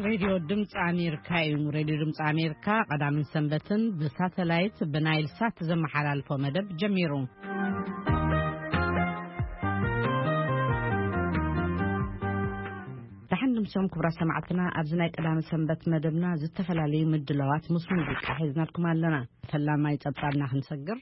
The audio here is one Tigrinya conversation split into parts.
ሬድዮ ድምፂ ኣሜሪካ እዩ። ሬድዮ ድምፂ ኣሜሪካ ቀዳምን ሰንበትን ብሳተላይት ብናይል ሳት ዘመሓላልፎ መደብ ጀሚሩ። ደሓን ድምሶም ክቡራት ሰማዕትና፣ ኣብዚ ናይ ቀዳመ ሰንበት መደብና ዝተፈላለዩ ምድላዋት ምስ ሙዚቃ ሒዝናልኩም ኣለና። ፈላማይ ጸብጻብና ክንሰግር።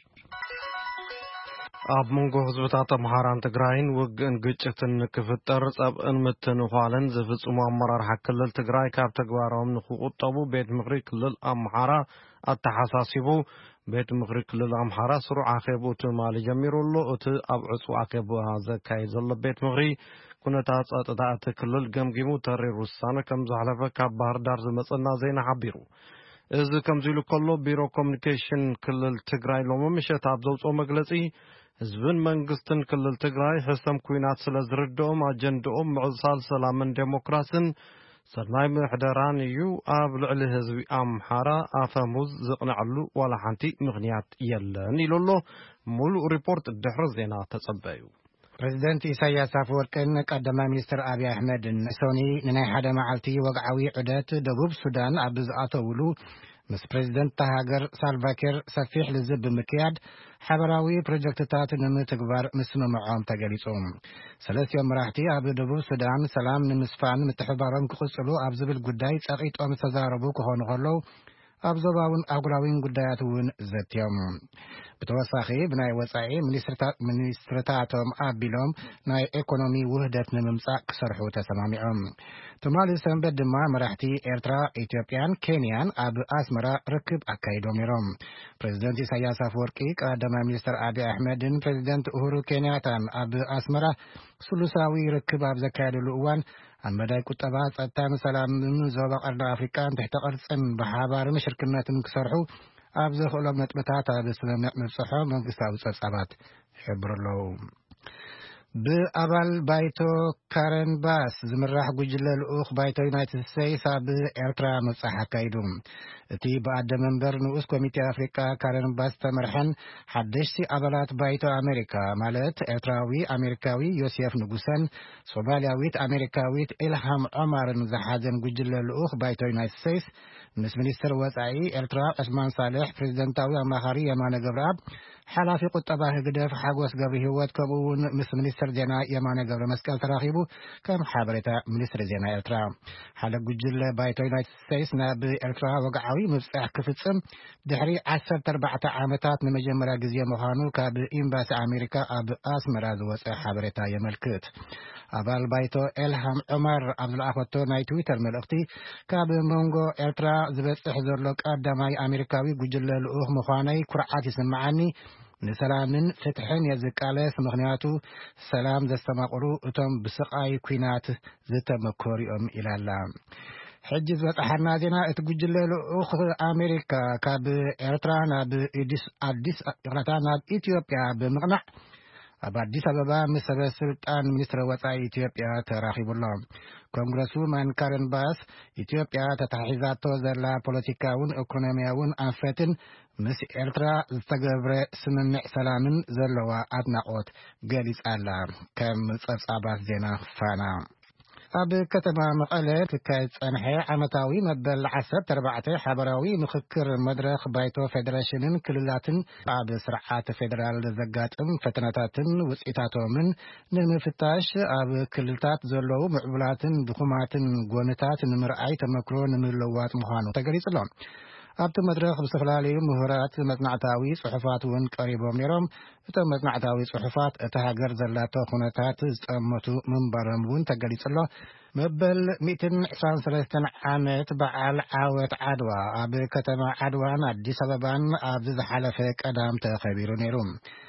ኣብ መንጎ ህዝብታት ኣምሓራን ትግራይን ውግእን ግጭትን ክፍጠር ጸብእን ምትንዃልን ዝፍጽሙ ኣመራርሓ ክልል ትግራይ ካብ ተግባሮም ንክቁጠቡ ቤት ምኽሪ ክልል ኣምሓራ ኣተሓሳሲቡ። ቤት ምኽሪ ክልል ኣምሓራ ስሩዕ ኣኼብኡ ትማሊ ጀሚሩ ኣሎ። እቲ ኣብ ዕጹው ኣኼባ ዘካይድ ዘሎ ቤት ምኽሪ ኩነታት ጸጥታ እቲ ክልል ገምጊሙ ተሪር ውሳነ ከም ዘሕለፈ ካብ ባህር ዳር ዝመጸና ዜና ሓቢሩ። እዚ ከምዚ ኢሉ ከሎ፣ ቢሮ ኮሚኒኬሽን ክልል ትግራይ ሎሚ ምሸት ኣብ ዘውፅኦ መግለፂ፣ ህዝብን መንግስትን ክልል ትግራይ ሕሰም ኩናት ስለ ዝርድኦም፣ ኣጀንድኦም ምዕሳል ሰላምን ዴሞክራስን ሰናይ ምሕደራን እዩ። ኣብ ልዕሊ ህዝቢ ኣምሓራ ኣፈሙዝ ዝቕነዐሉ ዋላ ሓንቲ ምኽንያት የለን ኢሉ ኣሎ። ሙሉእ ሪፖርት ድሕሪ ዜና ተጸበዩ። ፕሬዚደንት ኢሳያስ ኣፈወርቅን ቀዳማይ ሚኒስትር ኣብይ ኣሕመድን ሰኒ ንናይ ሓደ መዓልቲ ወግዓዊ ዑደት ደቡብ ሱዳን ኣብ ዝኣተውሉ፣ ምስ ፕሬዚደንት እታ ሃገር ሳልቫኪር ሰፊሕ ልዝብ ብምክያድ ሓበራዊ ፕሮጀክትታት ንምትግባር ምስምምዖም ተገሊጹ። ሰለስቲኦም መራሕቲ ኣብ ደቡብ ሱዳን ሰላም ንምስፋን ምትሕባሮም ክቕጽሉ ኣብ ዝብል ጉዳይ ጸቒጦም ዝተዛረቡ ክኾኑ ከለዉ፣ ኣብ ዞባውን ኣህጉራዊን ጉዳያት እውን ዘትዮም። ብተወሳኺ ብናይ ወጻኢ ሚኒስትርታ-፣ ሚኒስትርታቶም ኣቢሎም ናይ ኤኮኖሚ ውህደት ንምምጻእ ክሰርሑ ተሰማሚዖም። ትማሊ ሰንበት ድማ መራሕቲ ኤርትራ፣ ኢትዮጵያን ኬንያን ኣብ ኣስመራ ርክብ ኣካይዶም ነይሮም። ፕሬዚደንት ኢሳያስ ኣፈወርቂ፣ ቀዳማይ ሚኒስትር ኣቢ ኣሕመድን ፕሬዚደንት ኡሁሩ ኬንያታን ኣብ ኣስመራ ስሉሳዊ ርክብ ኣብ ዘካየደሉ እዋን፣ ኣብ መዳይ ቁጠባ፣ ጸጥታን ሰላምን ዞባ ቀርኒ ኣፍሪቃን ትሕተ ቅርጽን ብሓባር ምሽርክነትን ክሰርሑ ኣብ ዘኽእሎም ነጥብታት ኣብ ስምምዕ ምብጽሖ መንግስታዊ ጸብጻባት ይሕብሩ ኣለዉ። ብኣባል ባይቶ ካረን ባስ ዝምራሕ ጉጅለ ልኡኽ ባይቶ ዩናይትድ ስቴትስ ኣብ ኤርትራ ምብጻሕ ኣካይዱ። እቲ ብኣደ መንበር ንኡስ ኮሚቴ ኣፍሪቃ ካረን ባስ ዝተመርሐን ሓደሽቲ ኣባላት ባይቶ ኣሜሪካ፣ ማለት ኤርትራዊ ኣሜሪካዊ ዮሴፍ ንጉሰን ሶማልያዊት ኣሜሪካዊት ኢልሃም ዖማርን ዝሓዘን ጉጅለ ልኡኽ ባይቶ ዩናይትድ ስቴትስ ምስ ሚኒስትር ወጻኢ ኤርትራ ዑስማን ሳልሕ፣ ፕሬዚደንታዊ ኣማኻሪ የማነ ገብረኣብ፣ ሓላፊ ቁጠባ ህግደፍ ሓጎስ ገብረ ህይወት፣ ከምኡ እውን ምስ ሚኒስትር ዜና የማነ ገብረ መስቀል ተራኺቡ፣ ከም ሓበሬታ ሚኒስትሪ ዜና ኤርትራ። ሓደ ጉጅለ ባይቶ ዩናይትድ ስቴትስ ናብ ኤርትራ ወግዓዊ ምብጻሕ ክፍጽም ድሕሪ ዓሰርተ ኣርባዕተ ዓመታት ንመጀመርያ ግዜ ምዃኑ ካብ ኤምባሲ ኣሜሪካ ኣብ ኣስመራ ዝወጸ ሓበሬታ የመልክት። ኣባል ባይቶ ኤልሃም ዑመር ኣብ ዝለኣኸቶ ናይ ትዊተር መልእኽቲ፣ ካብ መንጎ ኤርትራ ዝበጽሕ ዘሎ ቀዳማይ ኣሜሪካዊ ጉጅለ ልኡኽ ምዃነይ ኩርዓት ይስምዓኒ። ንሰላምን ፍትሕን እየ ዝቃለስ፣ ምኽንያቱ ሰላም ዘስተማቕሩ እቶም ብስቓይ ኲናት ዝተመኮሩ እዮም ኢላ ኣላ። ሕጂ ዝበጽሓና ዜና፣ እቲ ጉጅለ ልኡኽ ኣሜሪካ ካብ ኤርትራ ናብ ኢዲስ-፣ ኣዲስ፣ ይቕረታ፣ ናብ ኢትዮጵያ ብምቕናዕ ኣብ ኣዲስ ኣበባ ምስ ሰበ ስልጣን ሚኒስትሪ ወጻኢ ኢትዮጵያ ተራኺቡ ኣሎ። ኮንግረስ ውማን ካረን ባስ፣ ኢትዮጵያ ተታሒዛቶ ዘላ ፖለቲካውን ኢኮኖሚያውን ኣንፈትን ምስ ኤርትራ ዝተገብረ ስምምዕ ሰላምን ዘለዋ ኣድናቖት ገሊጻ ኣላ። ከም ጸብጻባት ዜና ፋና። ኣብ ከተማ መቐለ ክካየድ ዝጸንሐ ዓመታዊ መበል ዓሰርተ ኣርባዕተ ሓበራዊ ምኽክር መድረኽ ባይቶ ፌደሬሽንን ክልላትን ኣብ ስርዓት ፌደራል ዘጋጥም ፈተናታትን ውጽኢታቶምን ንምፍታሽ፣ ኣብ ክልልታት ዘለዉ ምዕቡላትን ድኹማትን ጎንታት ንምርኣይ ተመክሮ ንምልውዋጥ ምዃኑ ተገሊጹ ኣሎ። ኣብቲ መድረኽ ብዝተፈላለዩ ምሁራት መጽናዕታዊ ጽሑፋት እውን ቀሪቦም ነይሮም። እቶም መጽናዕታዊ ጽሑፋት እታ ሃገር ዘላቶ ኩነታት ዝጠመቱ ምንባሮም እውን ተገሊጹ ኣሎ። መበል ሚእትን ዕስራን ሰለስተን ዓመት በዓል ዓወት ዓድዋ ኣብ ከተማ ዓድዋን ኣዲስ ኣበባን ኣብዚ ዝሓለፈ ቀዳም ተኸቢሩ ነይሩ።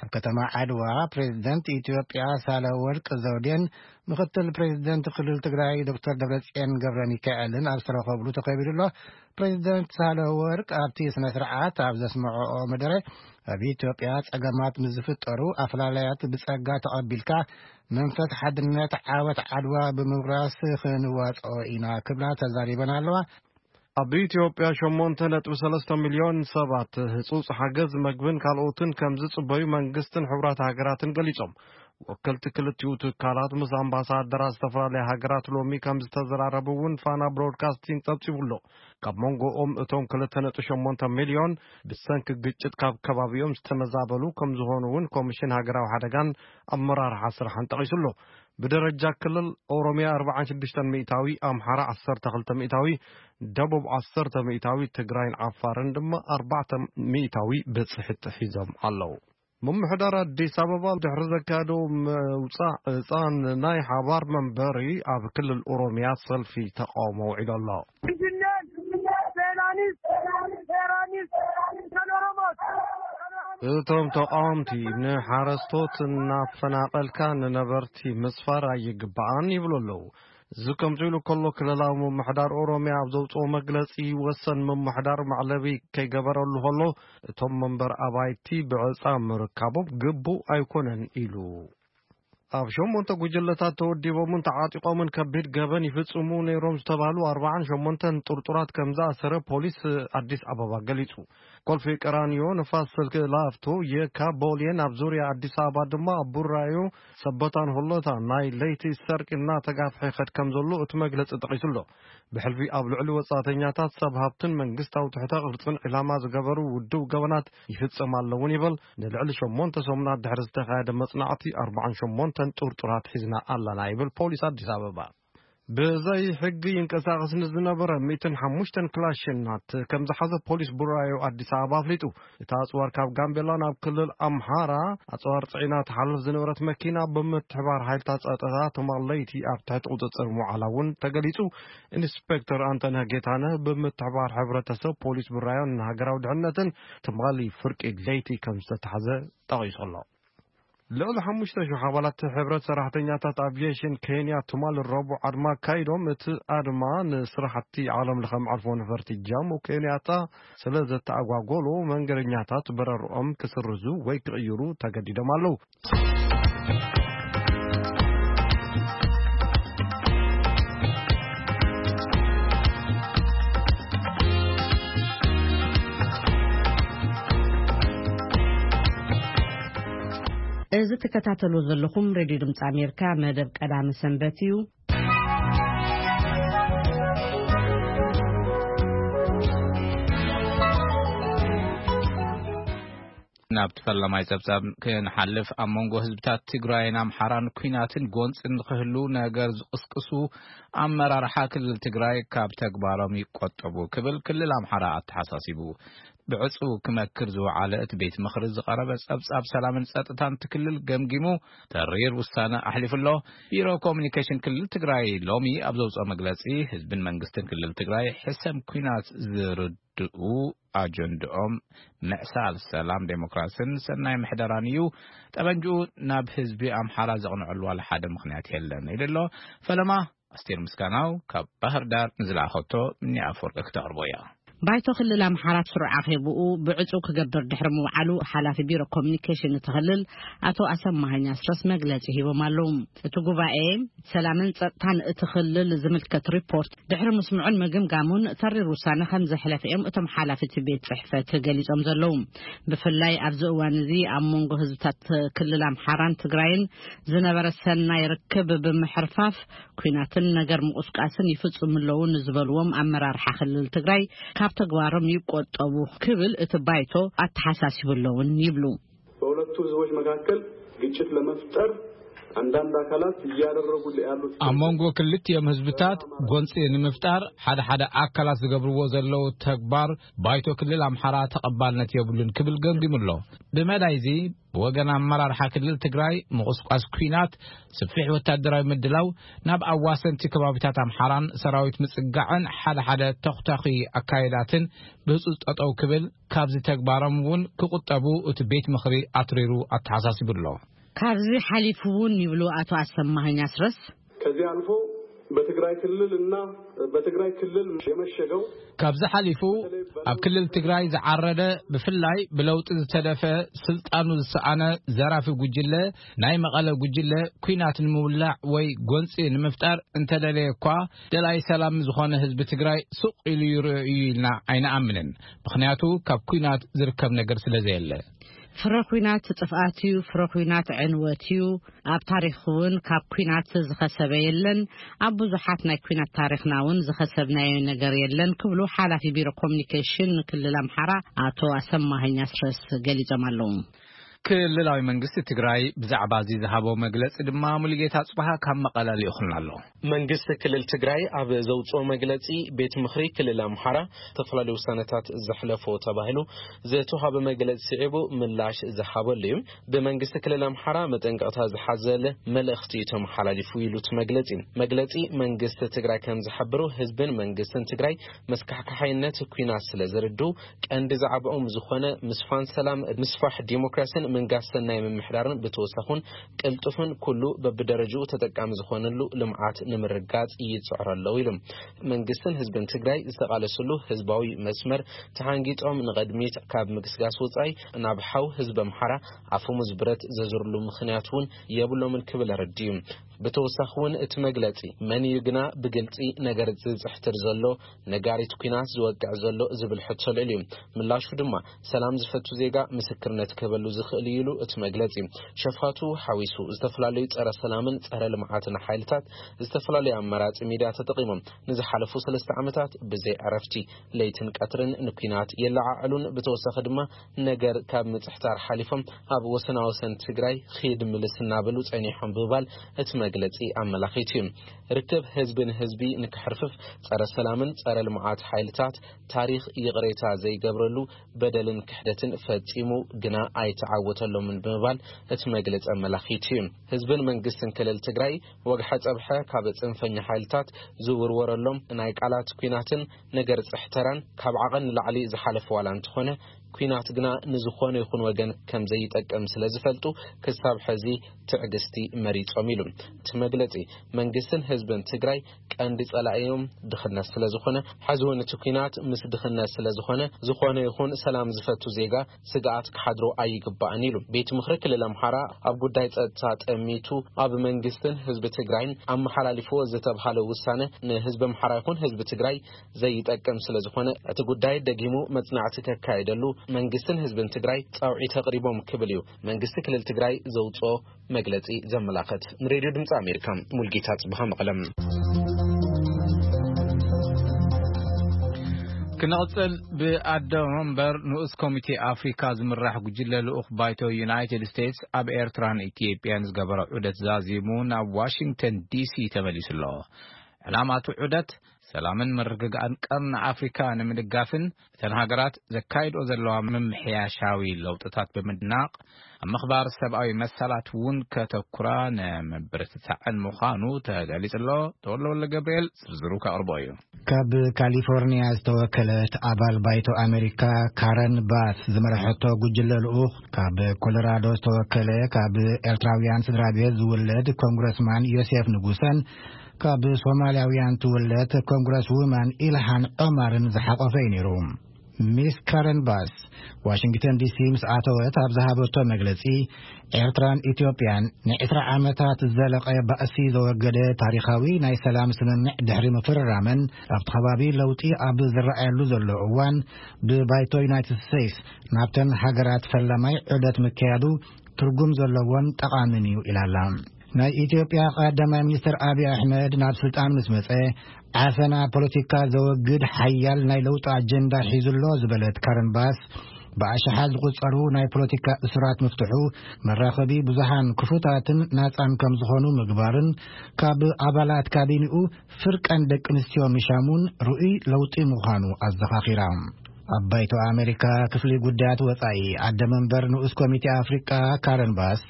ኣብ ከተማ ዓድዋ ፕሬዚደንት ኢትዮጵያ ሳህለወርቅ ዘውዴን ምኽትል ፕሬዚደንት ክልል ትግራይ ዶክተር ደብረጽዮን ገብረ ሚካኤልን ኣብ ዝተረኸብሉ ተኸቢሩ ኣሎ። ፕሬዚደንት ሳህለወርቅ ኣብቲ ስነ ስርዓት ኣብ ዘስምዐኦ መደረ፣ ኣብ ኢትዮጵያ ጸገማት ምስ ዝፍጠሩ ኣፈላላያት ብጸጋ ተቐቢልካ መንፈስ ሓድነት ዓወት ዓድዋ ብምውራስ ክንዋጽኦ ኢና ክብላ ተዛሪበን ኣለዋ። ኣብ ኢትዮጵያ ሸሞንተ ነጥቢ ሰለስተ ሚልዮን ሰባት ህጹጽ ሓገዝ መግብን ካልኦትን ከም ዝጽበዩ መንግስትን ሕቡራት ሃገራትን ገሊጾም። ወከልቲ ክልቲኡ ትካላት ምስ ኣምባሳደራት ዝተፈላለያ ሃገራት ሎሚ ከም ዝተዘራረቡ እውን ፋና ብሮድካስቲንግ ጸብጺቡ ኣሎ። ካብ መንጎኦም እቶም ክልተ ነጥቢ ሸሞንተ ሚልዮን ብሰንኪ ግጭት ካብ ከባቢኦም ዝተመዛበሉ ከም ዝኾኑ እውን ኮሚሽን ሃገራዊ ሓደጋን ኣመራርሓ ስራሕን ጠቒሱ ኣሎ። ብደረጃ ክልል ኦሮሚያ ኣርባዓን ሽዱሽተን ሚእታዊ፣ ኣምሓራ ዓሰርተ ክልተ ሚእታዊ፣ ደቡብ ዓሰርተ ሚእታዊ፣ ትግራይን ዓፋርን ድማ ኣርባዕተ ሚእታዊ ብፅሕቲ ሒዞም ኣለዉ። ምምሕዳር ኣዲስ ኣበባ ድሕሪ ዘካየዶ ምውፃእ እፃን ናይ ሓባር መንበሪ ኣብ ክልል ኦሮሚያ ሰልፊ ተቃውሞ ውዒሉ ኣሎ። እቶም ተቃወምቲ ንሓረስቶት እናፈናቀልካ ንነበርቲ ምስፋር ኣይግባኣን ይብሉ ኣለዉ። እዚ ከምዚ ኢሉ ከሎ ክልላዊ ምምሕዳር ኦሮሚያ ኣብ ዘውፅኦ መግለፂ ወሰን ምምሕዳር መዕለቢ ከይገበረሉ ከሎ እቶም መንበር ኣባይቲ ብዕፃ ምርካቦም ግቡእ ኣይኮነን ኢሉ። ኣብ ሸሞንተ ጉጅለታት ተወዲቦምን ተዓጢቖምን ከቢድ ገበን ይፍጽሙ ነይሮም ዝተባህሉ ኣርባዓን ሸሞንተን ጥርጡራት ከም ዝኣሰረ ፖሊስ ኣዲስ ኣበባ ገሊጹ። ኮልፌ ቀራኒዮ፣ ንፋስ ስልክ ላፍቶ፣ የካ፣ ቦሌን ኣብ ዙርያ ኣዲስ ኣበባ ድማ ኣብ ቡራዮ፣ ሰበታን ሆሎታ ናይ ለይቲ ሰርቂ እናተጋፍሐ ይኸድ ከም ዘሎ እቲ መግለጺ ጠቒሱ ኣሎ። ብሕልፊ ኣብ ልዕሊ ወጻእተኛታት፣ ሰብ ሃብትን መንግስታዊ ትሕተ ቅርጽን ዒላማ ዝገበሩ ውድብ ገበናት ይፍጸም ኣለውን ይበል። ንልዕሊ ሸሞንተ ሰሙናት ድሕሪ ዝተኻየደ መጽናዕቲ፣ ኣርባዓን ሸሞንተን ጥርጡራት ሒዝና ኣለና ይብል ፖሊስ ኣዲስ ኣበባ። ብዘይ ሕጊ ይንቀሳቐስ ንዝነበረ ሚእትን ሓሙሽተን ክላሽናት ከም ዝሓዘ ፖሊስ ቡራዮ ኣዲስ ኣበባ ኣፍሊጡ። እቲ ኣጽዋር ካብ ጋምቤላ ናብ ክልል ኣምሓራ ኣጽዋር ጽዒና ትሓልፍ ዝነበረት መኪና ብምትሕባር ሓይልታት ጸጥታ ትማል ለይቲ ኣብ ትሕቲ ቁጽጽር ምውዓላ እውን ተገሊጹ። ኢንስፔክተር ኣንተነህ ጌታነህ ብምትሕባር ሕብረተሰብ ፖሊስ ቡራዮን ሃገራዊ ድሕነትን ትማሊ ፍርቂ ለይቲ ከም ዝተታሕዘ ጠቒሱ ኣሎ። ልዕሊ ሓሙሽተ ሽሕ ኣባላት ሕብረት ሰራሕተኛታት ኣቪዬሽን ኬንያ ትማል ረቡዕ ኣድማ ኣካይዶም። እቲ ኣድማ ንስራሕቲ ዓለም ለኸ መዓርፎ ነፈርቲ ጃሞ ኬንያታ ስለ ዘተኣጓጎሎ መንገደኛታት በረርኦም ክስርዙ ወይ ክቕይሩ ተገዲዶም ኣለዉ። እዚ ትከታተሉ ዘለኹም ሬድዮ ድምፂ ኣሜሪካ መደብ ቀዳሚ ሰንበት እዩ። ናብ ተፈለማይ ጸብጻብ ክንሓልፍ፣ ኣብ መንጎ ህዝብታት ትግራይን ኣምሓራን ኲናትን ጎንጽን ንኽህሉ ነገር ዝቕስቅሱ ኣመራርሓ ክልል ትግራይ ካብ ተግባሮም ይቆጠቡ ክብል ክልል ኣምሓራ ኣተሓሳሲቡ። ብዕጹ ክመክር ዝወዓለ እቲ ቤት ምኽሪ ዝቐረበ ጸብጻብ ሰላምን ጸጥታን እቲ ክልል ገምጊሙ ተሪር ውሳነ ኣሕሊፉ ኣሎ። ቢሮ ኮሙኒኬሽን ክልል ትግራይ ሎሚ ኣብ ዘውፅኦ መግለጺ ህዝብን መንግስትን ክልል ትግራይ ሕሰም ኲናት ዝርድኡ ኣጀንድኦም ምዕሳል ሰላም ዴሞክራሲን ሰናይ ምሕደራን እዩ። ጠበንጅኡ ናብ ህዝቢ ኣምሓራ ዘቕንዐሉ ዋላ ሓደ ምኽንያት የለን ኢሉ ኣሎ። ፈለማ ኣስቴር ምስጋናው ካብ ባህር ዳር ንዝለኣኸቶ እኒ ኣፈወርቂ ክተቕርቦ እያ። ባይቶ ክልል ኣምሓራ ስሩዕ ኣኼብኡ ብዕጹ ክገብር ድሕሪ ምውዓሉ ሓላፊ ቢሮ ኮሚኒኬሽን እቲ ክልል ኣቶ ኣሰማሃኝ ኣስረስ መግለጺ ሂቦም ኣለዉ። እቲ ጉባኤ ሰላምን ጸጥታን እቲ ክልል ዝምልከት ሪፖርት ድሕሪ ምስምዑን ምግምጋሙን ተሪር ውሳነ ከም ዘሕለፈ እዮም እቶም ሓላፊ እቲ ቤት ጽሕፈት ገሊጾም ዘለዉ። ብፍላይ ኣብዚ እዋን እዚ ኣብ መንጎ ህዝብታት ክልል ኣምሓራን ትግራይን ዝነበረ ሰናይ ርክብ ብምሕርፋፍ ኲናትን ነገር ምቑስቃስን ይፍጽሙ ኣለዉ ንዝበልዎም ኣመራርሓ ክልል ትግራይ ካብ ተግባሮም ይቆጠቡ ክብል እቲ ባይቶ ኣተሓሳሲቡ ኣለውን ይብሉ። በሁለቱ ህዝቦች መካከል ግጭት ለመፍጠር አንዳንድ አካላት እያደረጉ ያሉት ኣብ መንጎ ክልቲኦም ህዝብታት ጎንፂ ንምፍጣር ሓደ ሓደ ኣካላት ዝገብርዎ ዘለዉ ተግባር ባይቶ ክልል ኣምሓራ ተቐባልነት የብሉን ክብል ገምጊሙ ኣሎ። ብመዳይ እዚ ብወገን ኣመራርሓ ክልል ትግራይ ምቑስቋስ ኲናት፣ ስፊሕ ወታደራዊ ምድላው፣ ናብ ኣዋሰንቲ ከባቢታት ኣምሓራን ሰራዊት ምጽጋዕን ሓደ ሓደ ተኹታኺ ኣካየዳትን ብህጹጽ ጠጠው ክብል፣ ካብዚ ተግባሮም እውን ክቑጠቡ እቲ ቤት ምኽሪ ኣትሪሩ ኣተሓሳሲቡ ኣሎ። ካብዚ ሓሊፉ እውን ይብሉ ኣቶ ኣሰማኸኝ ኣስረስ፣ ከዚህ አልፎ በትግራይ ክልል እና በትግራይ ክልል የመሸገው ካብዚ ሓሊፉ ኣብ ክልል ትግራይ ዝዓረደ ብፍላይ ብለውጢ ዝተደፈ ስልጣኑ ዝሰኣነ ዘራፊ ጉጅለ ናይ መቐለ ጉጅለ ኲናት ንምውላዕ ወይ ጎንፂ ንምፍጣር እንተደለየ እኳ ደላይ ሰላም ዝኾነ ህዝቢ ትግራይ ሱቕ ኢሉ ይርእዮ እዩ ኢልና ኣይንኣምንን። ምኽንያቱ ካብ ኲናት ዝርከብ ነገር ስለ ዘየለ። ፍረ ኲናት ጥፍኣት እዩ፣ ፍረ ኲናት ዕንወት እዩ። ኣብ ታሪኽ እውን ካብ ኲናት ዝኸሰበ የለን። ኣብ ብዙሓት ናይ ኲናት ታሪኽና እውን ዝኸሰብናዮ ነገር የለን ክብሉ ሓላፊ ቢሮ ኮሚኒኬሽን ክልል ኣምሓራ ኣቶ ኣሰማኸኝ ኣስረስ ገሊጾም ኣለዉ። ክልላዊ መንግስቲ ትግራይ ብዛዕባ እዚ ዝሃቦ መግለጺ ድማ ሙሉጌታ ጽባሃ ካብ መቐለ ልኢኹልና ኣሎ። መንግስቲ ክልል ትግራይ ኣብ ዘውፅኦ መግለፂ፣ ቤት ምኽሪ ክልል ኣምሓራ ዝተፈላለዩ ውሳነታት ዘሕለፎ ተባሂሉ ዝተዋሃበ መግለፂ ስዒቡ ምላሽ ዝሃበሉ እዩ። ብመንግስቲ ክልል ኣምሓራ መጠንቀቕታ ዝሓዘለ መልእኽቲ እዩ ተመሓላሊፉ ኢሉ እቲ መግለፂ። መግለፂ መንግስቲ ትግራይ ከም ዝሓበሮ፣ ህዝብን መንግስትን ትግራይ መስካሕካሓይነት ኲናት ስለ ዝርድኡ፣ ቀንዲ ዛዕባኦም ዝኾነ ምስፋን ሰላም፣ ምስፋሕ ዲሞክራሲን ምንጋስ ሰናይ ምምሕዳርን ብተወሳኹን ቅልጡፍን ኩሉ በብደረጅኡ ተጠቃሚ ዝኾነሉ ልምዓት ንምርጋጽ ይጽዕሩ ኣለዉ ኢሉ። መንግስትን ህዝብን ትግራይ ዝተቓለስሉ ህዝባዊ መስመር ተሓንጊጦም ንቐድሚት ካብ ምግስጋስ ወጻኢ፣ ናብ ሓው ህዝቢ ኣምሓራ ኣፈሙዝ ብረት ዘዙርሉ ምኽንያት እውን የብሎምን ክብል ኣረዲኡ። ብተወሳኺ እውን እቲ መግለጺ፣ መን እዩ ግና ብግልጺ ነገር ዝጽሕትር ዘሎ፣ ነጋሪት ኲናት ዝወቅዕ ዘሎ ዝብል ሕቶ ልዕል እዩ። ምላሹ ድማ፣ ሰላም ዝፈቱ ዜጋ ምስክርነት ክህበሉ ዝኽእል እዩ ኢሉ እቲ መግለጺ። ሸፋቱ ሓዊሱ ዝተፈላለዩ ጸረ ሰላምን ጸረ ልምዓትን ሓይልታት ዝተፈላለዩ ኣማራጺ ሚድያ ተጠቒሞም ንዝሓለፉ ሰለስተ ዓመታት ብዘይ ዕረፍቲ ለይትን ቀትርን ንኲናት የለዓዕሉን። ብተወሳኺ ድማ ነገር ካብ ምጽሕታር ሓሊፎም ኣብ ወሰናወሰን ትግራይ ኺድ ምልስ እናበሉ ጸኒሖም ብምባል እቲ መግለጺ ኣመላኺቱ እዩ። ርክብ ህዝቢ ንህዝቢ ንክሕርፍፍ ጸረ ሰላምን ጸረ ልምዓት ሓይልታት ታሪኽ ይቕሬታ ዘይገብረሉ በደልን ክሕደትን ፈጺሙ ግና ኣይተዓወተሎምን ብምባል እቲ መግለጺ ኣመላኺቱ እዩ። ህዝብን መንግስትን ክልል ትግራይ ወግሐ ጸብሐ ካብ ጽንፈኛ ሓይልታት ዝውርወረሎም ናይ ቃላት ኲናትን ነገር ጽሕተራን ካብ ዓቐን ንላዕሊ ዝሓለፈ ዋላ እንተኾነ፣ ኲናት ግና ንዝኾነ ይኹን ወገን ከም ዘይጠቅም ስለ ዝፈልጡ፣ ክሳብ ሕዚ ትዕግስቲ መሪጾም ኢሉ። እቲ መግለጺ፣ መንግስትን ህዝብን ትግራይ ቀንዲ ጸላኢኦም ድኽነት ስለ ዝኾነ፣ ሕዚ እውን እቲ ኲናት ምስ ድኽነት ስለ ዝኾነ፣ ዝኾነ ይኹን ሰላም ዝፈቱ ዜጋ ስግኣት ክሓድሮ ኣይግባእን ኢሉ። ቤት ምኽሪ ክልል ኣምሓራ ኣብ ጉዳይ ጸጥታ ጠሚቱ ኣብ መንግስትን ህዝቢ ትግራይን ኣመሓላሊፍዎ ዝተብሃለ ውሳነ ንህዝቢ ኣምሓራ ይኹን ህዝቢ ትግራይ ዘይጠቅም ስለ ዝኾነ፣ እቲ ጉዳይ ደጊሙ መጽናዕቲ ከካየደሉ መንግስትን ህዝብን ትግራይ ጻውዒት ኣቕሪቦም ክብል እዩ መንግስቲ ክልል ትግራይ ዘውጽኦ መግለጺ ዘመላኸት። ንሬድዮ ድምፂ ኣሜሪካ፣ ሙልጌታ ጽብሃ መቐለም። ክንቕጽል፣ ብኣደ መንበር ንኡስ ኮሚቴ ኣፍሪካ ዝምራሕ ጉጅለ ልኡኽ ባይቶ ዩናይትድ ስቴትስ ኣብ ኤርትራን ኢትዮጵያን ዝገበሮ ዑደት ዛዚሙ ናብ ዋሽንግተን ዲሲ ተመሊሱ ኣሎ። ዕላማቱ ዑደት ሰላምን ምርግጋእን ቀርኒ ኣፍሪካ ንምድጋፍን እተን ሃገራት ዘካይድኦ ዘለዋ ምምሕያሻዊ ለውጥታት ብምድናቕ ኣብ ምኽባር ሰብኣዊ መሰላት እውን ከተኩራ ንምብርትታዕን ምዃኑ ተገሊጹ ኣሎ። ተወልደ ወልደ ገብርኤል ዝርዝሩ ከቕርቦ እዩ። ካብ ካሊፎርኒያ ዝተወከለት ኣባል ባይቶ ኣሜሪካ ካረን ባስ ዝመረሐቶ ጉጅለ ልኡኽ፣ ካብ ኮሎራዶ ዝተወከለ ካብ ኤርትራውያን ስድራ ቤት ዝውለድ ኮንግረስማን ዮሴፍ ንጉሰን ካብ ሶማልያውያን ትውለድ ኮንግረስ ውማን ኢልሃን ዖማርን ዝሓቆፈ እዩ ነይሩ። ሚስ ካረን ባስ ዋሽንግተን ዲሲ ምስ ኣተወት ኣብ ዝሃበቶ መግለጺ፣ ኤርትራን ኢትዮጵያን ንዕስራ ዓመታት ዝዘለቐ ባእሲ ዘወገደ ታሪኻዊ ናይ ሰላም ስምምዕ ድሕሪ ምፍርራመን፣ ኣብቲ ከባቢ ለውጢ ኣብ ዝረኣየሉ ዘሎ እዋን፣ ብባይቶ ዩናይትድ ስቴትስ ናብተን ሃገራት ፈላማይ ዑደት ምክያዱ ትርጉም ዘለዎን ጠቓምን እዩ ኢላላ። ናይ ኢትዮጵያ ቀዳማይ ሚኒስትር ኣብይ ኣሕመድ ናብ ስልጣን ምስ መጸ፣ ዓፈና ፖለቲካ ዘወግድ ሓያል ናይ ለውጢ ኣጀንዳ ሒዙ ኣሎ ዝበለት ካረን ባስ፣ ብኣሽሓት ዝቑጸሩ ናይ ፖለቲካ እሱራት ምፍትሑ፣ መራኸቢ ብዙሃን ክፉታትን ናጻን ከም ዝኾኑ ምግባርን ካብ ኣባላት ካቢኒኡ ፍርቀን ደቂ ኣንስትዮ ምሻሙን ርኡይ ለውጢ ምዃኑ ኣዘኻኺራ። ኣብ ባይቶ ኣሜሪካ ክፍሊ ጉዳያት ወጻኢ ኣደ መንበር ንኡስ ኮሚቴ ኣፍሪቃ ካረን ባስ፣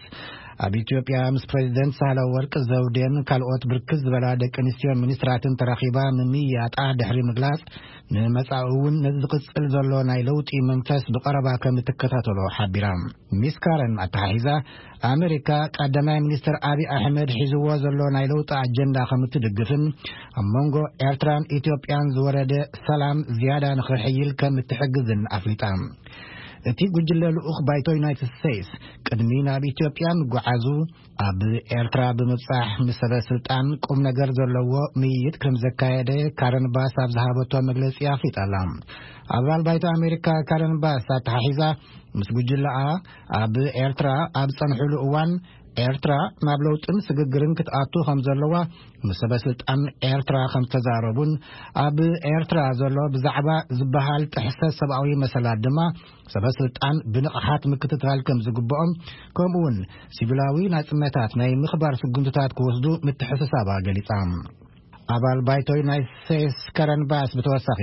ኣብ ኢትዮጵያ ምስ ፕሬዚደንት ሳህለ ወርቅ ዘውዴን ካልኦት ብርክት ዝበላ ደቂ ኣንስትዮን ሚኒስትራትን ተራኺባ ምምይያጣ ድሕሪ ምግላጽ፣ ንመጻኢ እውን ነዚ ዝቕጽል ዘሎ ናይ ለውጢ መንፈስ ብቐረባ ከም እትከታተሎ ሓቢራ። ሚስ ካረን ኣተሓሒዛ፣ ኣሜሪካ ቀዳማይ ሚኒስትር ኣብይ ኣሕመድ ሒዝዎ ዘሎ ናይ ለውጢ ኣጀንዳ ከም እትድግፍን ኣብ መንጎ ኤርትራን ኢትዮጵያን ዝወረደ ሰላም ዝያዳ ንኽሕይል ከም እትሕግዝን ኣፍሊጣ። እቲ ጉጅለ ልኡኽ ባይቶ ዩናይትድ ስቴትስ ቅድሚ ናብ ኢትዮጵያ ምጉዓዙ፣ ኣብ ኤርትራ ብምብጻሕ ምስ ሰበ ስልጣን ቁም ነገር ዘለዎ ምይይጥ ከም ዘካየደ ካረን ባስ ኣብ ዝሃበቶ መግለጺ ኣፍሊጣ ኣላ። ኣባል ባይቶ ኣሜሪካ ካረን ባስ ኣተሓሒዛ፣ ምስ ጉጅለኣ ኣብ ኤርትራ ኣብ ጸንሕሉ እዋን፣ ኤርትራ ናብ ለውጥን ስግግርን ክትኣቱ ከም ዘለዋ ምስ ሰበ ስልጣን ኤርትራ ከም ዝተዛረቡን፣ ኣብ ኤርትራ ዘሎ ብዛዕባ ዝበሃል ጥሕሰት ሰብኣዊ መሰላት ድማ ሰበ ስልጣን ብንቕሓት ምክትታል ከም ዝግብኦም፣ ከምኡ እውን ሲቪላዊ ናጽነታት ናይ ምኽባር ስጉምትታት ክወስዱ ምትሕስሳባ ገሊጻ። ኣባል ባይቶ ዩናይትድ ስቴትስ ከረን ባስ ብተወሳኺ፣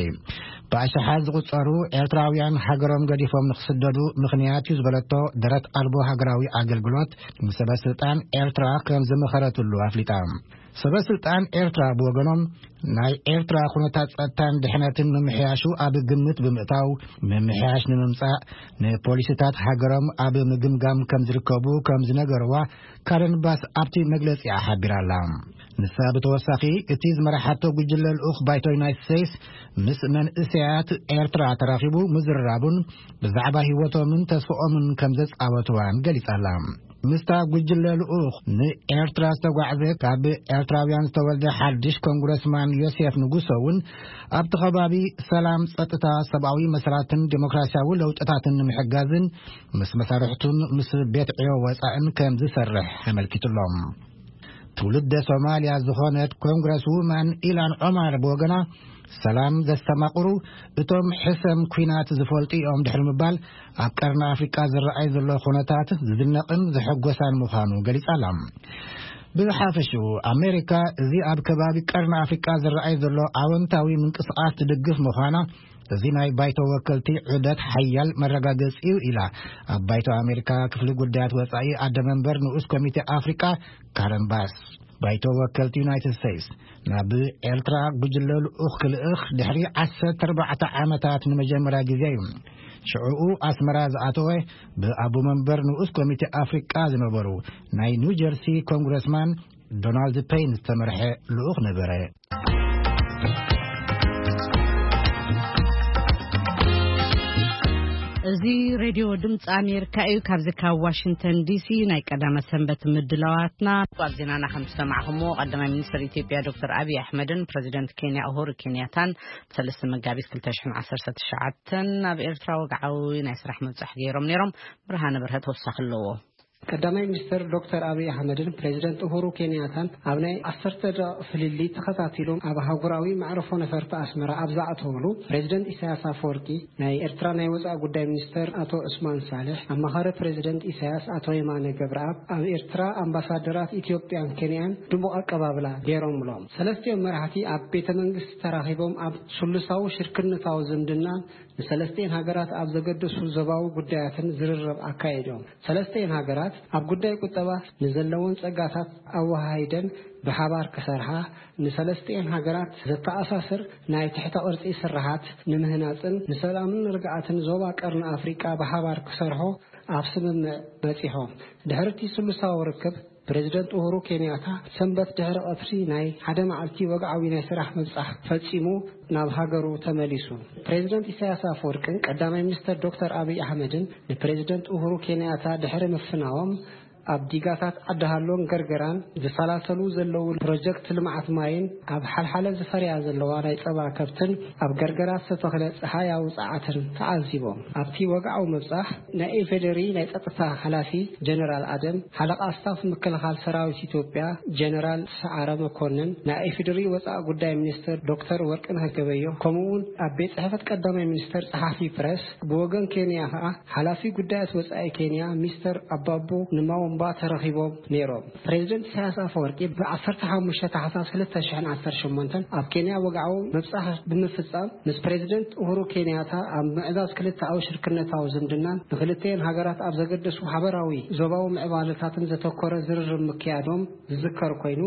ብኣሽሓት ዝቑጸሩ ኤርትራውያን ሃገሮም ገዲፎም ንክስደዱ ምኽንያት እዩ ዝበለቶ ደረት ኣልቦ ሃገራዊ ኣገልግሎት፣ ንሰበ ስልጣን ኤርትራ ከም ዝመኸረትሉ ኣፍሊጣ። ሰበ ስልጣን ኤርትራ ብወገኖም፣ ናይ ኤርትራ ኩነታት ጸጥታን ድሕነትን ምምሕያሹ ኣብ ግምት ብምእታው፣ ምምሕያሽ ንምምጻእ ንፖሊሲታት ሃገሮም ኣብ ምግምጋም ከም ዝርከቡ ከም ዝነገርዋ ካረን ባስ ኣብቲ መግለጺኣ ሓቢራ ኣላ። ንሳ ብተወሳኺ፣ እቲ ዝመርሓቶ ጉጅለ ልኡኽ ባይቶ ዩናይትድ ስቴትስ ምስ መንእሰያት ኤርትራ ተራኺቡ ምዝርራቡን ብዛዕባ ህይወቶምን ተስፍኦምን ከም ዘጻወትዋን ገሊጻ ኣላ። ምስታ ጉጅለ ልኡኽ ንኤርትራ ዝተጓዕዘ ካብ ኤርትራውያን ዝተወልደ ሓድሽ ኮንግረስማን ዮሴፍ ንጉሶ እውን ኣብቲ ከባቢ ሰላም፣ ጸጥታ፣ ሰብኣዊ መሰላትን ዴሞክራሲያዊ ለውጥታትን ንምሕጋዝን ምስ መሳርሕቱን ምስ ቤት ዕዮ ወጻእን ከም ዝሰርሕ ኣመልኪቱሎም። ትውልደ ሶማልያ ዝኾነት ኮንግረስ ውማን ኢላን ዖማር ብወገና፣ ሰላም ዘስተማቕሩ እቶም ሕሰም ኲናት ዝፈልጡ እዮም ድሕሪ ምባል፣ ኣብ ቀርኒ ኣፍሪቃ ዝረኣይ ዘሎ ኩነታት ዝድነቕን ዘሐጎሳን ምዃኑ ገሊጻ ኣላ። ብሓፈሽኡ፣ ኣሜሪካ እዚ ኣብ ከባቢ ቀርኒ ኣፍሪቃ ዝረኣይ ዘሎ ኣወንታዊ ምንቅስቓስ ትድግፍ ምዃና፣ እዚ ናይ ባይቶ ወከልቲ ዑደት ሓያል መረጋገጺ እዩ ኢላ፣ ኣብ ባይቶ ኣሜሪካ ክፍሊ ጉዳያት ወጻኢ ኣደ መንበር ንኡስ ኮሚቴ ኣፍሪቃ ካረን ባስ። ባይቶ ወከልቲ ዩናይትድ ስቴትስ ናብ ኤርትራ ጉጅለ ልኡኽ ክልእኽ ድሕሪ ዓሰርተ ኣርባዕተ ዓመታት ንመጀመርያ ግዜ እዩ። ሽዕኡ ኣስመራ ዝኣተወ ብኣቦ መንበር ንኡስ ኮሚቴ ኣፍሪቃ ዝነበሩ ናይ ኒው ጀርሲ ኮንግረስማን ዶናልድ ፔይን ዝተመርሐ ልኡኽ ነበረ። እዚ ሬድዮ ድምፂ ኣሜሪካ እዩ። ካብዚ ካብ ዋሽንግተን ዲሲ ናይ ቀዳመ ሰንበት ምድላዋትና። ኣብ ዜናና ከም ዝሰማዕኹምዎ፣ ቀዳማይ ሚኒስትር ኢትዮጵያ ዶክተር ኣብይ ኣሕመድን ፕሬዚደንት ኬንያ ኡሁሩ ኬንያታን ሰለስተ መጋቢት ክልተ ሽሕን ዓሰርተ ትሽዓተን ኣብ ኤርትራ ወግዓዊ ናይ ስራሕ ምብጻሕ ገይሮም ነይሮም። ብርሃነ በርሀ ተወሳኺ ኣለዎ። ቀዳማይ ሚኒስትር ዶክተር ኣብይ ኣሕመድን ፕሬዚደንት ኡሁሩ ኬንያታን ኣብ ናይ ዓሰርተ ደቂቕ ፍልልይ ተኸታቲሎም ኣብ ኣህጉራዊ መዕርፎ ነፈርቲ ኣስመራ ኣብ ዝኣተውሉ፣ ፕሬዚደንት ኢሳያስ ኣፈወርቂ፣ ናይ ኤርትራ ናይ ወጻኢ ጉዳይ ሚኒስተር ኣቶ ዑስማን ሳልሕ፣ ኣማኻሪ ፕሬዚደንት ኢሳያስ ኣቶ የማነ ገብረኣብ፣ ኣብ ኤርትራ ኣምባሳደራት ኢትዮጵያን ኬንያን ድሙቕ ኣቀባብላ ገይሮምሎም። ሰለስቲኦም መራሕቲ ኣብ ቤተ መንግስቲ ተራኺቦም ኣብ ስሉሳዊ ሽርክነታዊ ዝምድናን ንሰለስቲኤን ሃገራት ኣብ ዘገድሱ ዞባዊ ጉዳያትን ዝርርብ ኣካይዶም። ሰለስቲኤን ሃገራት ኣብ ጉዳይ ቁጠባ ንዘለወን ጸጋታት ኣወሃሂደን ብሓባር ክሰርሓ፣ ንሰለስቲኤን ሃገራት ዘተኣሳስር ናይ ትሕተ ቅርጺ ስርሓት ንምህናጽን ንሰላምን ርግኣትን ዞባ ቀርኒ ኣፍሪቃ ብሓባር ክሰርሑ ኣብ ስምምዕ በጺሖም። ድሕሪ እቲ ስሉሳዊ ርክብ፣ ፕሬዚደንት ኡሁሩ ኬንያታ ሰንበት ድሕሪ ቀትሪ ናይ ሓደ መዓልቲ ወግዓዊ ናይ ስራሕ ምብጻሕ ፈጺሙ ናብ ሃገሩ ተመሊሱ። ፕሬዚደንት ኢሳያስ ኣፈወርቅን ቀዳማይ ሚኒስተር ዶክተር ኣብይ ኣሕመድን ንፕሬዚደንት ኡሁሩ ኬንያታ ድሕሪ ምፍናዎም፣ ኣብ ዲጋታት ዓዲ ሃሎን ገርገራን ዝሰላሰሉ ዘለዉ ፕሮጀክት ልምዓት ማይን ኣብ ሓልሓለ ዝፈርያ ዘለዋ ናይ ጸባ ከብትን ኣብ ገርገራ ዝተተኽለ ጸሃያዊ ጸዓትን ተዓዚቦም። ኣብቲ ወግዓዊ ምብጻሕ ናይ ኢፌዴሪ ናይ ጸጥታ ሓላፊ ጀነራል ኣደም፣ ሓለቓ ስታፍ ምክልኻል ሰራዊት ኢትዮጵያ ጀነራል ሰዓረ መኮንን፣ ናይ ኢፌዴሪ ወጻኢ ጉዳይ ሚኒስትር ዶክተር ወርቅነህ ገበዮ፣ ከምኡ እውን ኣብ ቤት ጽሕፈት ቀዳማይ ሚኒስትር ጸሓፊ ፕረስ፣ ብወገን ኬንያ ከኣ ሓላፊ ጉዳያት ወጻኢ ኬንያ ሚስተር ኣባቡ ንማወምባ ተረኺቦም ነይሮም። ፕሬዚደንት ኢሳያስ ኣፈወርቂ ብ ዓሰርተ ሓሙሽተ ታሕሳስ ክልተ ሽሕን ዓሰርተ ሸሞንተን ኣብ ኬንያ ወግዓዊ ምብጻሕ ብምፍጻም፣ ምስ ፕሬዚደንት ኡሁሩ ኬንያታ ኣብ ምዕዛዝ ክልተኣዊ ሽርክነታዊ ዝምድናን ንክልቲኤን ሃገራት ኣብ ዘገደሱ ሓበራዊ ዞባዊ ምዕባለታትን ዘተኮረ ዝርርብ ምክያዶም ዝዝከር ኮይኑ፣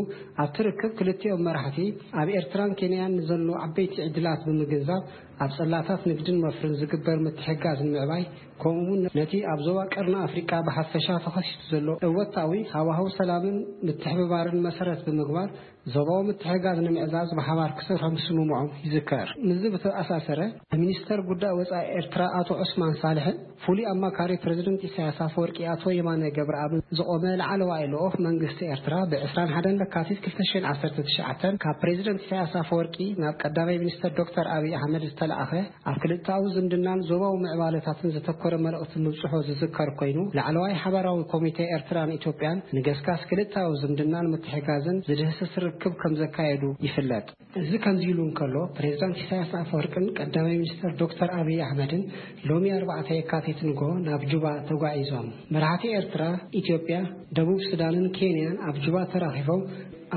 ኣብቲ ርክብ ክልቲኦም መራሕቲ ኣብ ኤርትራን ኬንያን ንዘሎ ዓበይቲ ዕድላት ብምግንዛብ፣ ኣብ ጽላታት ንግድን ወፍርን ዝግበር ምትሕጋዝ ንምዕባይ፣ ከምኡውን ነቲ ኣብ ዞባ ቀርኒ ኣፍሪቃ ብሓፈሻ ተኸሲቱ ዘሎ እወታዊ ሃዋህው ሰላምን ምትሕብባርን መሰረት ብምግባር፣ ዞባዊ ምትሕጋዝ ንምዕዛዝ ብሓባር ክሰርሑ ምስምምዖም ይዝከር። ምስዚ ብተኣሳሰረ፣ ሚኒስተር ጉዳይ ወጻኢ ኤርትራ ኣቶ ዑስማን ሳልሕን ፍሉይ ኣማካሪ ፕረዚደንት ኢሳያስ ኣፈወርቂ ኣቶ የማነ ገብረኣብን ዝቖመ ላዕለዋይ ልኡኽ መንግስቲ ኤርትራ፣ ብ ዕስራን ሓደን ለካቲት ክልተ ሽሕን ዓሰርተ ትሽዓተን ካብ ፕረዚደንት ኢሳያስ ኣፈወርቂ ናብ ቀዳማይ ሚኒስተር ዶክተር ኣብይ ኣሕመድ ዝተላእኸ፣ ኣብ ክልተኣዊ ዝምድናን ዞባዊ ምዕባለታትን ዘተኮረ መልእኽቲ ምብጽሖ ዝዝከር ኮይኑ፣ ላዕለዋይ ሓባራዊ ኮሚቴ ኤርትራን ኢትዮጵያን ንገስጋስ ክልተኣዊ ዝምድናን ምትሕጋዝን ዝድህስስ ርክብ ከም ዘካየዱ ይፍለጥ። እዚ ከምዚ ኢሉ እንከሎ፣ ፕሬዝዳንት ኢሳያስ ኣፈወርቅን ቀዳማይ ሚኒስተር ዶክተር ኣብይ ኣሕመድን ሎሚ ኣርባዕተ የካቲት ንግሆ ናብ ጁባ ተጓዒዞም። መራሕቲ ኤርትራ፣ ኢትዮጵያ፣ ደቡብ ሱዳንን ኬንያን ኣብ ጁባ ተራኺቦም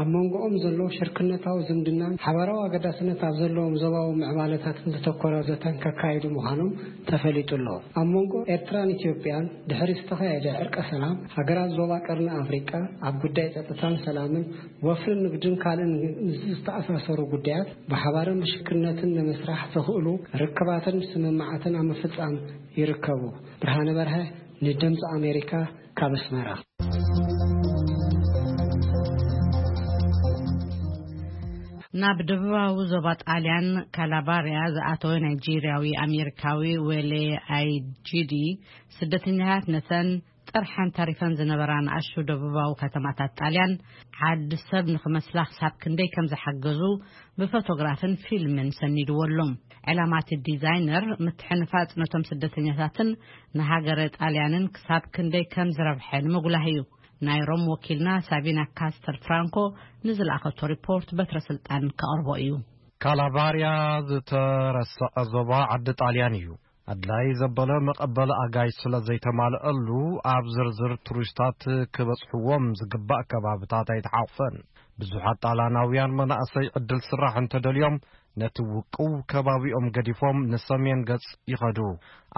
ኣብ መንጎኦም ዘሎ ሽርክነታዊ ዝምድናን ሓባራዊ ኣገዳስነት ኣብ ዘለዎም ዞባዊ ምዕባለታትን ዘተኮረ ዘተን ከካይዱ ምዃኖም ተፈሊጡ ኣሎ። ኣብ መንጎ ኤርትራን ኢትዮጵያን ድሕሪ ዝተኻየደ ዕርቀ ሰላም፣ ሃገራት ዞባ ቀርኒ ኣፍሪቃ ኣብ ጉዳይ ጸጥታን ሰላምን ወፍርን ንግድን ካልእን ምስ ዝተኣሳሰሩ ጉዳያት ብሓባርን ብሽርክነትን ንምስራሕ ዘኽእሉ ርክባትን ስምምዓትን ኣብ ምፍጻም ይርከቡ። ብርሃነ በርሀ ንድምፂ ኣሜሪካ ካብ ኣስመራ። ናብ ደቡባዊ ዞባ ጣልያን ካላባርያ ዝኣተወ ናይጄርያዊ ኣሜሪካዊ ዌሌ ኣይጂዲ፣ ስደተኛታት ነተን ጥርሐን ተሪፈን ዝነበራ ንኣሽቱ ደቡባዊ ከተማታት ጣልያን ዓዲ ሰብ ንኽመስላ ክሳብ ክንደይ ከም ዝሓገዙ ብፎቶግራፍን ፊልምን ሰኒድዎ ኣሎ። ዕላማ እቲ ዲዛይነር ምትሕንፋጽ ነቶም ስደተኛታትን ንሃገረ ጣልያንን ክሳብ ክንደይ ከም ዝረብሐ ንምጉላህ እዩ። ናይ ሮም ወኪልና ሳቪና ካስተር ፍራንኮ ንዝለኣኸቶ ሪፖርት በትረ ስልጣን ከቕርቦ እዩ። ካላባርያ ዝተረሰዐ ዞባ ዓዲ ጣልያን እዩ። ኣድላይ ዘበለ መቐበሊ ኣጋይሽ ስለ ዘይተማልአሉ፣ ኣብ ዝርዝር ቱሪስታት ክበጽሕዎም ዝግባእ ከባብታት ኣይተሓቑፈን። ብዙሓት ጣልያናውያን መናእሰይ ዕድል ስራሕ እንተደልዮም፣ ነቲ ውቁብ ከባቢኦም ገዲፎም ንሰሜን ገጽ ይኸዱ።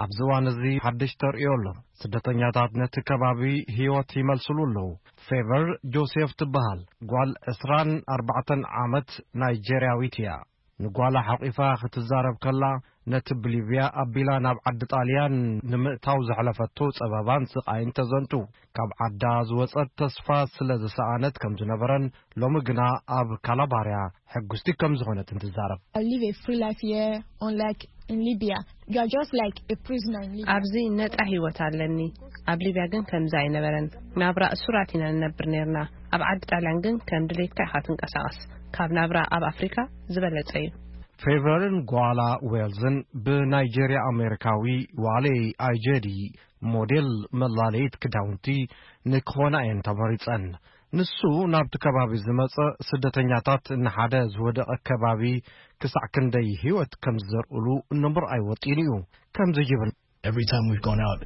ኣብዚ እዋን እዚ ሓድሽ ተርእዮ ኣሎ። ስደተኛታት ነቲ ከባቢ ህይወት ይመልስሉ ኣለዉ። ፌቨር ጆሴፍ ትበሃል ጓል ዕስራን ኣርባዕተን ዓመት ናይጄርያዊት እያ። ንጓላ ሓቂፋ ክትዛረብ ከላ፣ ነቲ ብሊብያ ኣቢላ ናብ ዓዲ ጣልያን ንምእታው ዘሕለፈቶ ጸበባን ስቓይን ተዘንቱ። ካብ ዓዳ ዝወጸት ተስፋ ስለ ዝሰኣነት ከም ዝነበረን፣ ሎሚ ግና ኣብ ካላባርያ ሕጉስቲ ከም ዝኾነትን ትዛረብ። I live a free life here, unlike in Libya. You are just like a prisoner in Libya. ኣብዚ ነጻ ህይወት ኣለኒ። ኣብ ሊብያ ግን ከምዚ ኣይነበረን። ናብራ እሱራት ኢና ንነብር ነርና። ኣብ ዓዲ ጣልያን ግን ከም ድሌትካ ኢኻ ትንቀሳቐስ። ካብ ናብራ ኣብ ኣፍሪካ ዝበለጸ እዩ። ፌቨርን ጓላ ዌልዝን ብናይጄርያ ኣሜሪካዊ ዋሌ ኣይጀዲ ሞዴል መላለይት ክዳውንቲ ንክኾና እየን ተመሪጸን። ንሱ ናብቲ ከባቢ ዝመጸ ስደተኛታት ንሓደ ዝወደቐ ከባቢ ክሳዕ ክንደይ ህይወት ከም ዝዘርእሉ ንምርኣይ ወጢኑ እዩ። ከምዚ ይብል። Every time we've gone out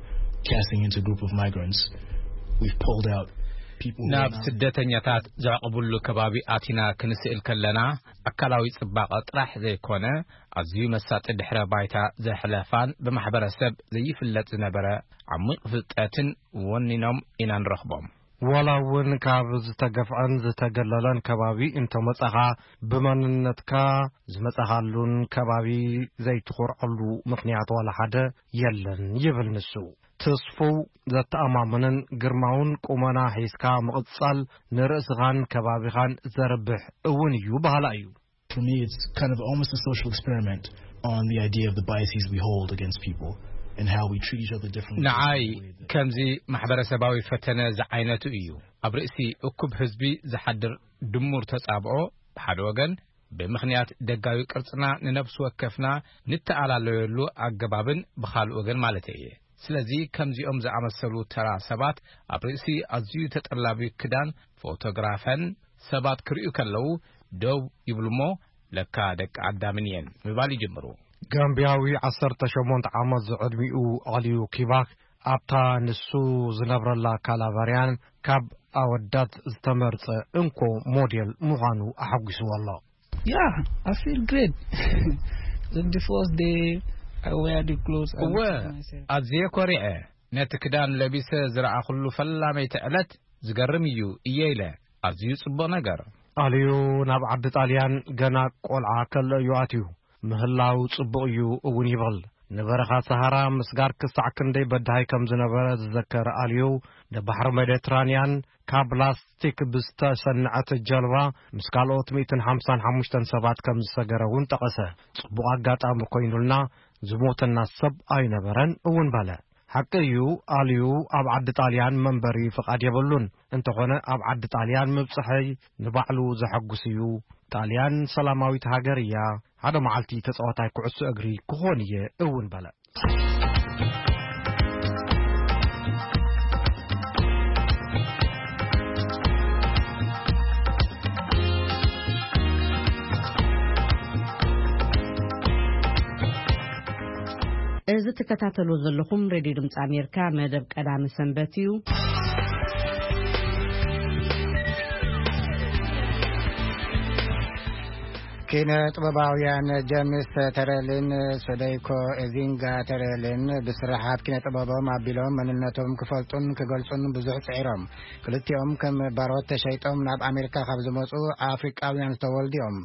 casting into a group of migrants, we've pulled out people who are ናብ now ስደተኛታት ዘዕቕብሉ ከባቢ ኣቲና ክንስእል ከለና፣ ኣካላዊ ጽባቐ ጥራሕ ዘይኮነ፣ ኣዝዩ መሳጢ ድሕረ ባይታ ዘሕለፋን ብማሕበረሰብ ዘይፍለጥ ዝነበረ ዓሚቕ ፍልጠትን ወኒኖም ኢና ንረኽቦም። ዋላ እውን ካብ ዝተገፍዐን ዝተገለለን ከባቢ እንተመጻኻ፣ ብመንነትካ ዝመጻኻሉን ከባቢ ዘይትኾርዐሉ ምኽንያት ዋላ ሓደ የለን ይብል ንሱ። ተስፍው ዘተኣማምንን ግርማውን ቁመና ሒዝካ ምቕጻል ንርእስኻን ከባቢኻን ዘርብሕ እውን እዩ በሃላ እዩ። For me, it's kind of almost a social experiment on the idea of the biases we hold against people and how we treat each other differently. ንዓይ ከምዚ ማሕበረሰባዊ ፈተነ ዝዓይነቱ እዩ። ኣብ ርእሲ እኩብ ህዝቢ ዝሓድር ድሙር ተጻብኦ፣ ብሓደ ወገን፣ ብምኽንያት ደጋዊ ቅርጽና ንነፍሲ ወከፍና ንተኣላለየሉ ኣገባብን፣ ብኻልእ ወገን ማለተይ እየ። ስለዚ ከምዚኦም ዝኣመሰሉ ተራ ሰባት ኣብ ርእሲ ኣዝዩ ተጠላቢ ክዳን ፎቶግራፈን ሰባት ክርእዩ ከለዉ ደው ይብሉ እሞ፣ ለካ ደቂ ኣዳምን እየን ምባል ይጅምሩ። ጋምብያዊ ዓሰርተ ሸሞንተ ዓመት ዝዕድሚኡ ኣልዩ ኪባክ ኣብታ ንሱ ዝነብረላ ካላባርያን ካብ ኣወዳት ዝተመርጸ እንኮ ሞዴል ምዃኑ ኣሐጒስዎ ኣሎ። Yeah, I feel great. The first day I wear the clothes, I እወ፣ look at myself. ኣዝየ ኮሪዐ። ነቲ ክዳን ለቢሰ ዝረኣኹሉ ፈላመይቲ ዕለት ዝገርም እዩ እየ ኢለ። ኣዝዩ ጽቡቕ ነገር። ኣልዩ ናብ ዓዲ ጣልያን ገና ቆልዓ ከሎ እዩ ኣትዩ። ምህላው ጽቡቕ እዩ እውን ይብል። ንበረኻ ሰሃራ ምስጋር ክሳዕ ክንደይ በዳሂ ከም ዝነበረ ዝዘከር ኣልዩ፣ ንባሕሪ ሜዲትራንያን ካብ ላስቲክ ብዝተሰንዐት ጀልባ ምስ ካልኦት ሚእትን ሓምሳን ሓሙሽተን ሰባት ከም ዝሰገረ እውን ጠቐሰ። ጽቡቕ ኣጋጣሚ ኮይኑልና፣ ዝሞተና ሰብ ኣይነበረን እውን በለ። ሓቂ እዩ፣ ኣልዩ ኣብ ዓዲ ጣልያን መንበሪ ፍቓድ የብሉን። እንተኾነ ኣብ ዓዲ ጣልያን ምብጽሐይ ንባዕሉ ዘሐጉስ እዩ። ጣልያን ሰላማዊት ሃገር እያ። ሓደ መዓልቲ ተጻዋታይ ኩዕሶ እግሪ ክኾን እየ እውን በለ። እዚ ትከታተልዎ ዘለኹም ሬድዮ ድምፂ ኣሜሪካ መደብ ቀዳሚ ሰንበት እዩ። ኪነ ጥበባውያን ጀምስ ተረልን ሶደይኮ ኤዚንጋ ተረልን ብስራሓት ኪነ ጥበቦም ኣቢሎም መንነቶም ክፈልጡን ክገልጹን ብዙሕ ጽዒሮም። ክልቲኦም ከም ባሮት ተሸይጦም ናብ ኣሜሪካ ካብ ዝመጹ ኣፍሪቃውያን ዝተወልዱ እዮም።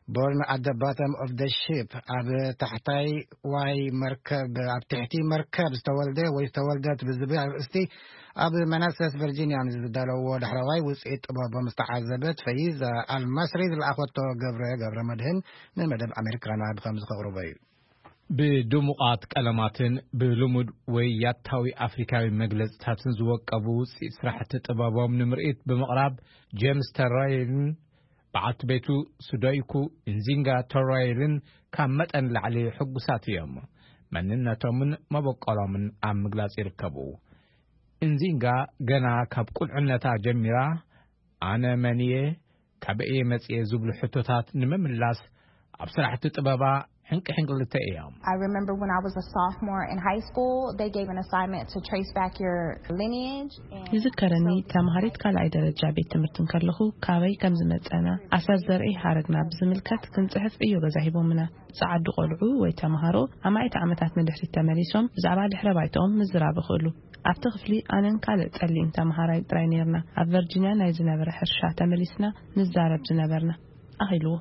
Born at the bottom of the ship፣ ኣብ ታሕታይ ዋይ መርከብ፣ ኣብ ትሕቲ መርከብ ዝተወልደ ወይ ዝተወልደት ብዝብል ኣርእስቲ ኣብ መናሰስ ቨርጂኒያ ንዝዳለዎ ዳሕረዋይ ውፅኢት ጥበቦም ዝተዓዘበት ፈይዛ ኣልማስሪ ዝለኣኸቶ ገብረ ገብረ መድህን ንመደብ ኣሜሪካና ብከምዚ ከቕርቦ እዩ። ብድሙቓት ቀለማትን ብልሙድ ወይ ያታዊ ኣፍሪካዊ መግለጽታትን ዝወቀቡ ውፅኢት ስራሕቲ ጥበቦም ንምርኢት ብምቕራብ፣ ጄምስ ተራይልን በዓልቲ ቤቱ ሱዶይኩ ኢንዚንጋ ተራይልን ካብ መጠን ላዕሊ ሕጉሳት እዮም። መንነቶምን መበቆሎምን ኣብ ምግላጽ ይርከቡ። ኢንዚንጋ ገና ካብ ቁልዕነታ ጀሚራ፣ "ኣነ መን እየ? ካበይ እየ መጽየ?" ዝብሉ ሕቶታት ንምምላስ ኣብ ስራሕቲ ጥበባ ሕንቂ ሕንቅልተ እዮም። I remember when I was a sophomore in high school, they gave an assignment to trace back your lineage. And ይዝከረኒ፣ so ተማሃሪት ካልኣይ ደረጃ ቤት ትምህርቲ እንከለኹ፣ ካበይ ከም ዝመጸና፣ ኣሰር ዘርኢ ሃረግና ብዝምልከት ክንጽሕፍ ዕዮ ገዛ ሂቦምና። ጸዓዱ ቆልዑ ወይ ተማሃሮ ኣማኢት ዓመታት ንድሕሪት ተመሊሶም ብዛዕባ ድሕረ ባይታኦም ምዝራብ ይኽእሉ። ኣብቲ ክፍሊ ኣነን ካልእ ጸሊም ተማሃራይ ጥራይ ነይርና። ኣብ ቨርጂንያ ናይ ዝነበረ ሕርሻ ተመሊስና ንዛረብ ዝነበርና፣ ኣኺልዎ።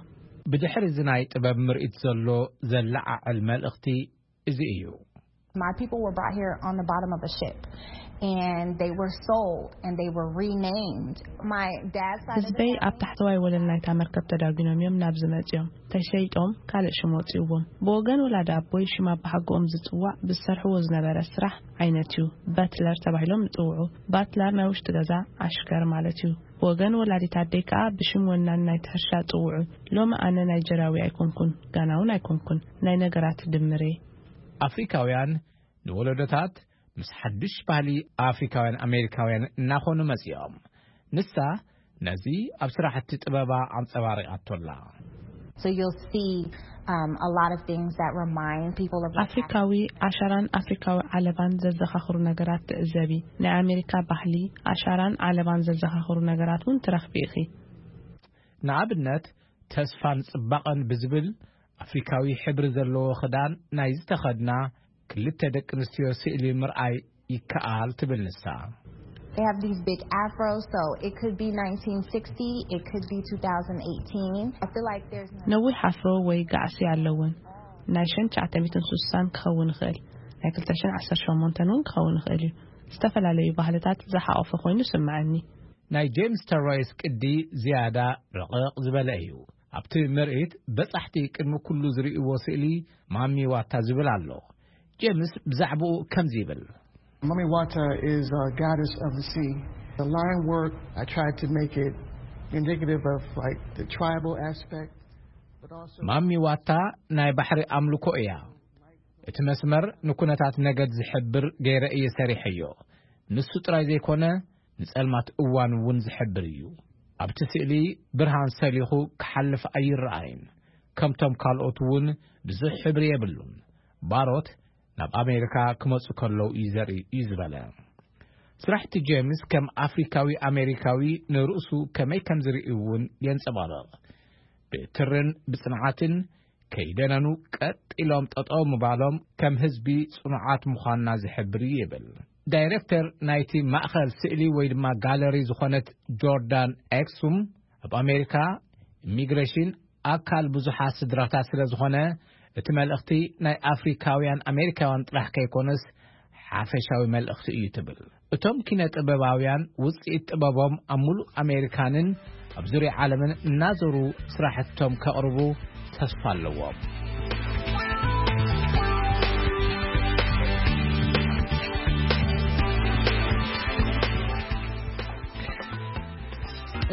ብድሕሪ እዚ ናይ ጥበብ ምርኢት ዘሎ ዘለዓዕል መልእኽቲ እዚ እዩ። My people were brought here on the bottom of a ship, and they were sold and they were renamed. My dad's side of the ህዝበይ ኣብ family ታሕተዋይ ወለል ናይታ መርከብ ተዳጒኖም እዮም ናብዚ መጺኦም። ተሸይጦም ካልእ ሽም ወጺእዎም። ብወገን ወላዲ ኣቦይ ሽም ኣባሓጎኦም ዝጽዋዕ ብዝሰርሕዎ ዝነበረ ስራሕ ዓይነት እዩ። በትለር ተባሂሎም ይጽውዑ። ባትለር ናይ ውሽጢ ገዛ ኣሽከር ማለት እዩ። ብወገን ወላዲት ኣደይ ከኣ ብሽም ወናን ናይቲ ሕርሻ ጽውዑ። ሎሚ ኣነ ናይጀርያዊ ኣይኮንኩን፣ ጋና እውን ኣይኮንኩን። ናይ ነገራት ድምር እየ። ኣፍሪካውያን ንወለዶታት ምስ ሓድሽ ባህሊ ኣፍሪካውያን ኣሜሪካውያን እናኾኑ መጺኦም። ንሳ ነዚ ኣብ ስራሕቲ ጥበባ ኣንጸባሪቓቶላ። So you'll see, um, a lot of things that remind people of what's ኣፍሪካዊ ኣሻራን ኣፍሪካዊ ዓለባን ዘዘኻኽሩ ነገራት ትዕዘቢ። ናይ ኣሜሪካ ባህሊ፣ ኣሻራን ዓለባን ዘዘኻኽሩ ነገራት እውን ትረኽቢ ኢኺ። ንኣብነት፣ ተስፋን ጽባቐን ብዝብል ኣፍሪካዊ ሕብሪ ዘለዎ ክዳን ናይ ዝተኸድና ክልተ ደቂ ኣንስትዮ ስእሊ ምርኣይ ይከኣል ትብል ንሳ። They have these big afros, so it could be nineteen sixty, it could be two thousand eighteen. I feel like there's no ነዊሕ ኣፍሮ ወይ ጋዕሲ ኣለውን። ናይ ሸን ትሽዓተ ሚእትን ስሳን ክኸውን ይኽእል፣ ናይ ክልተ ሽሕን ዓሰርተ ሸሞንተን እውን ክኸውን ይኽእል እዩ። ዝተፈላለዩ ባህልታት ዝሓቖፈ ኮይኑ ይስምዓኒ። ናይ ጄምስ ተሮይስ ቅዲ ዝያዳ ረቐቕ ዝበለ እዩ። ኣብቲ ምርኢት በጻሕቲ ቅድሚ ኩሉ ዝርእይዎ ስእሊ ማሚ ዋታ ዝብል ኣሎ። ጄምስ ብዛዕባኡ ከምዚ ይብል። Mami Wata is a goddess of the sea. The line work, I tried to make it indicative of, like, the tribal aspect, but also ማሚ ዋታ ናይ ባሕሪ ኣምልኮ እያ። እቲ መስመር ንኩነታት ነገድ ዝሕብር ገይረ እየ ሰሪሐዮ። ንሱ ጥራይ ዘይኮነ፣ ንጸልማት እዋን እውን ዝሕብር እዩ። ኣብቲ ስእሊ ብርሃን ሰሊኹ ክሓልፍ ኣይረኣይን። ከምቶም ካልኦት እውን ብዙሕ ሕብሪ የብሉን። ባሮት ናብ ኣሜሪካ ክመጹ ከለዉ እዩ ዘርኢ እዩ ዝበለ። ስራሕቲ ጄምስ ከም ኣፍሪካዊ ኣሜሪካዊ ንርእሱ ከመይ ከም ዝርኢ እውን የንጸባርቕ። ብትርን ብጽንዓትን ከይደነኑ ቀጥ ኢሎም ጠጠው ምባሎም ከም ህዝቢ ጽኑዓት ምዃንና ዝሕብር እዩ ይብል። ዳይሬክተር ናይቲ ማእኸል ስእሊ ወይ ድማ ጋለሪ ዝኾነት ጆርዳን ኤክሱም፣ ኣብ ኣሜሪካ ኢሚግሬሽን ኣካል ብዙሓት ስድራታት ስለ ዝኾነ፣ እቲ መልእኽቲ ናይ ኣፍሪካውያን ኣሜሪካውያን ጥራሕ ከይኮነስ ሓፈሻዊ መልእኽቲ እዩ ትብል። እቶም ኪነ ጥበባውያን ውፅኢት ጥበቦም ኣብ ሙሉእ ኣሜሪካንን ኣብ ዙርያ ዓለምን እናዞሩ ስራሕቶም ከቕርቡ ተስፋ ኣለዎም።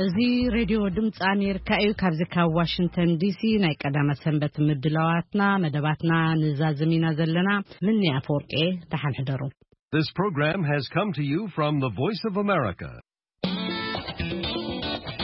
እዚ ሬድዮ ድምፂ ኣሜሪካ እዩ። ካብዚ ካብ ዋሽንግተን ዲሲ ናይ ቀዳመ ሰንበት ምድላዋትና መደባትና ንዛዝም ኢና ዘለና። ምኒ ኣፈወርቂ፣ ደሓን ሕደሩ። This program has come to you from the Voice of America.